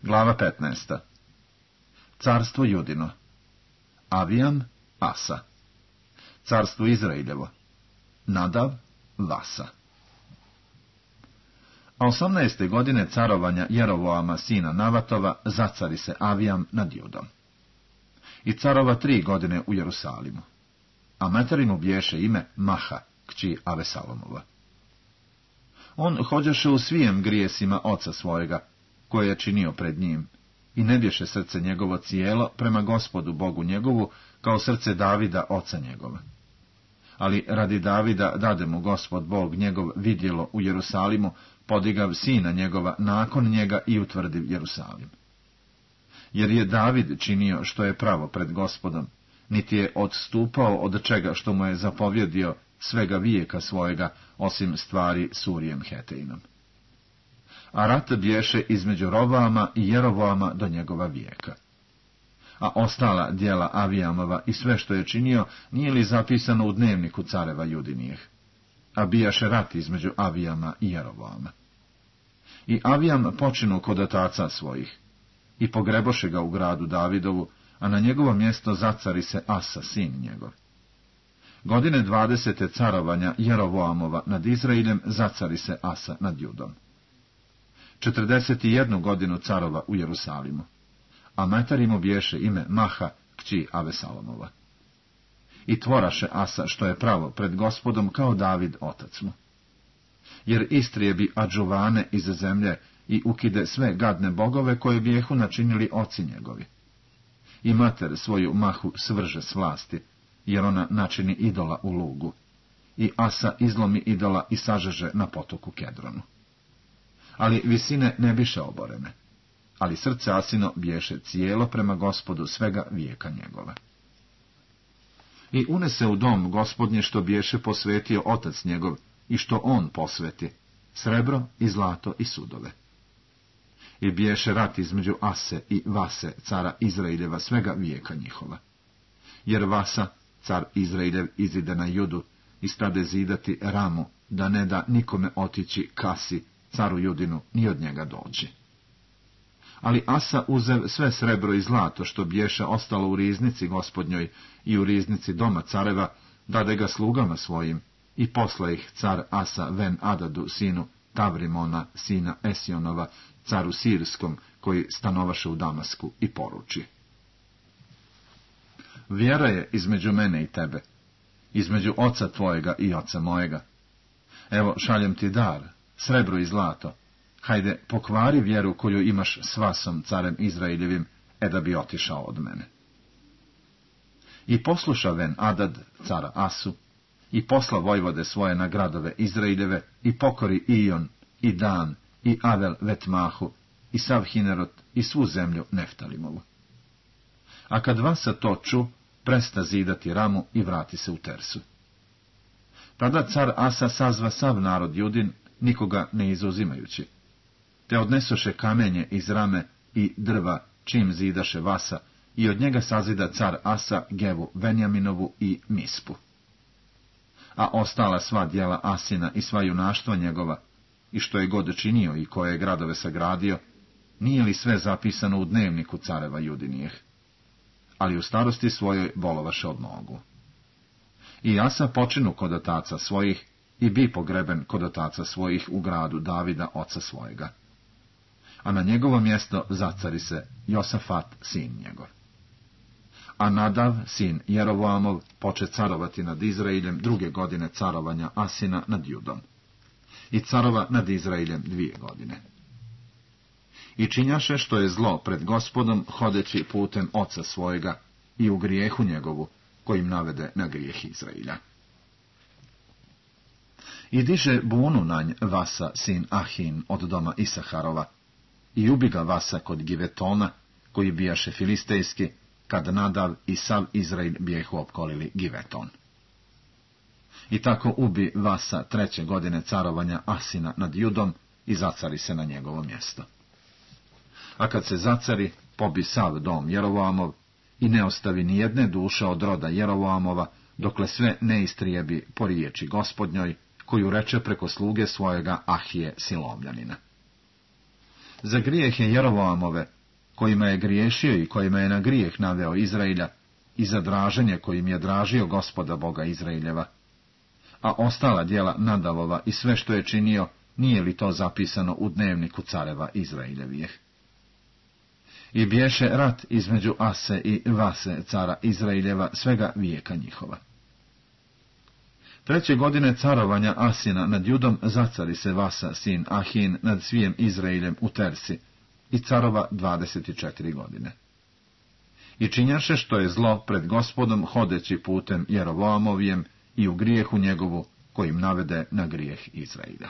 Glava 15. Carstvo Judino. Avijam, Asa. Carstvo Izrailjevo. Nadav, Vasa. A 18. godine carovanja Jerovoama sina Navatova zacari se Avijam nad Judom. I carova 3 godine u Jerusalimu. A materi mu bješe ime Maha, kći Avesalomova. On hođeše u svijem grijesima oca svojega, koje je činio pred njim, i ne bješe srce njegovo cijelo prema Gospodu Bogu njegovu, kao srce Davida oca njegova. Ali radi Davida dade mu Gospod Bog njegov vidjelo u Jerusalimu, podigav sina njegova nakon njega i utvrdiv Jerusalim. Jer je David činio što je pravo pred Gospodom, niti je odstupao od čega što mu je zapovjedio svega vijeka svojega, osim stvari s Urijem Hetejnom. A rat bješe između Rovama i Jerovoama do njegova vijeka. A ostala djela Avijamova i sve što je činio nije li zapisano u dnevniku careva Judinijeh? A bijaše rat između Avijama i Jerovoama. I Avijam počinu kod otaca svojih, i pogreboše ga u gradu Davidovu, a na njegovo mjesto zacari se Asa, sin njegov. Godine 20. carovanja Jerovoamova nad Izrailjem zacari se Asa nad Judom. 41 godinu carova u Jerusalimu, a materi mu bješe ime Maha, kći Avesalomova. I tvoraše Asa što je pravo pred Gospodom kao David otac mu. Jer istrijebi adžuvane iz zemlje i ukide sve gadne bogove koje bijehu načinili oci njegovi. I mater svoju Mahu svrže s vlasti, jer ona načini idola u lugu. I Asa izlomi idola i sažeže na potoku Kedronu. Ali visine ne biše oborene, ali srce Asino bješe cijelo prema Gospodu svega vijeka njegova. I unese u dom Gospodnje što bješe posvetio otac njegov i što on posveti, srebro i zlato i sudove. I bješe rat između Ase i Vase, cara Izraeljeva svega vijeka njihova. Jer Vasa, car Izraeljev, izide na Judu i stade zidati Ramu, da ne da nikome otići Kasi, caru Judinu, ni od njega doći. Ali Asa uzev sve srebro i zlato što bješe ostalo u riznici Gospodnjoj i u riznici doma careva, dade ga slugama svojim, i posla ih car Asa ven Adadu, sinu Tavrimona, sina Esionova, caru Sirskom, koji stanovaše u Damasku, i poruči: Vjera je između mene i tebe, između oca tvojega i oca mojega. Evo, šaljem ti dar, srebro i zlato. Hajde, pokvari vjeru koju imaš s Vasom, carem Izraeljevim, da bi otišao od mene. I posluša ven Adad, cara Asu, i posla vojvode svoje na gradove Izraeljeve, i pokori Ijon, i Dan, i Avel Vetmahu, i sav Hinerot, i svu zemlju Neftalimovu. A kad Vasa to ču, presta zidati Ramu i vrati se u Tersu. Tada car Asa sazva sav narod Judin, nikoga ne izuzimajući. Te odnesoše kamenje iz Rame i drva, čim zidaše Vasa, i od njega sazida car Asa Gevu Venjaminovu i Mispu. A ostala sva djela Asina i sva junaštva njegova, i što je god činio i koje je gradove sagradio, nije li sve zapisano u dnevniku careva Judinijeh? Ali u starosti svojoj bolovaše od nogu. I Asa počinu kod otaca svojih, i bi pogreben kod otaca svojih u gradu Davida oca svojega. A na njegovo mjesto zacari se Josafat, sin njegov. A Nadav, sin Jerovoamov, poče carovati nad Izraeljem 2. godine carovanja Asina nad Judom. I carova nad Izraeljem 2 godine. I činjaše što je zlo pred Gospodom, hodeći putem oca svojega i u grijehu njegovu, kojim navede na grijeh Izraelja. I diže bunu na nj Vasa, sin Ahin, od doma Isaharova, i ubi ga Vasa kod Givetona, koji bijaše filistejski, kad Nadav i sav Izrael bijehu opkolili Giveton. I tako ubi Vasa 3. godine carovanja Asina nad Judom i zacari se na njegovo mjesto. A kad se zacari, pobi sav dom Jerovoamov i ne ostavi ni jedne duše od roda Jerovoamova, dokle sve ne istrijebi po riječi Gospodnjoj, koju reče preko sluge svojega Ahije Silomljanina. Za grijehe Jeroboamove, kojima je griješio i kojima je na grijeh naveo Izraelja, i za draženje kojim je dražio Gospoda Boga Izraeljeva. A ostala djela Nadavova i sve što je činio, nije li to zapisano u dnevniku careva Izraeljevih? I bješe rat između Ase i Vase, cara Izraeljeva, svega vijeka njihova. 3. godine carovanja Asina nad Judom zacari se Vasa, sin Ahin, nad svijem Izraeljem u Tersi, i carova 24 godine. I činjaše što je zlo pred Gospodom, hodeći putem Jeroboamovijem i u grijehu njegovu, kojim navede na grijeh Izraelja.